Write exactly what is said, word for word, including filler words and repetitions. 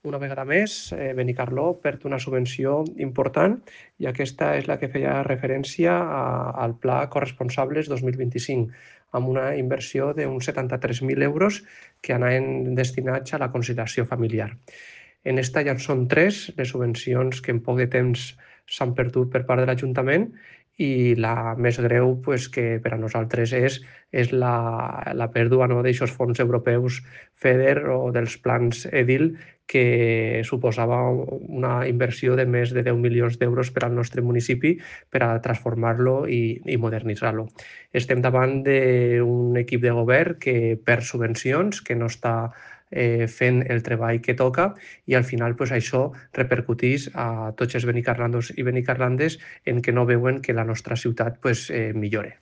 Una vegada més, eh, Benicarló perd una subvenció important i aquesta és la que feia referència a, al Pla Corresponsables dos mil vint-i-cinc, amb una inversió d'uns setanta-tres mil euros que anaven destinats a la conciliació familiar. En esta ja són tres les subvencions que en poc de temps s'han perdut per part de l'Ajuntament i la més greu pues, que per a nosaltres és, és la, la pèrdua no, d'aixòs fons europeus FEDER o dels plans EDIL que suposava una inversió de més de deu milions d'euros per al nostre municipi per a transformar-lo i, i modernitzar-lo. Estem davant d'un equip de govern que perd subvencions, que no està eh, fent el treball que toca i al final pues, això repercuteix a tots els benicarlandos i benicarlandes en què no veuen que la nostra ciutat pues, eh, millore.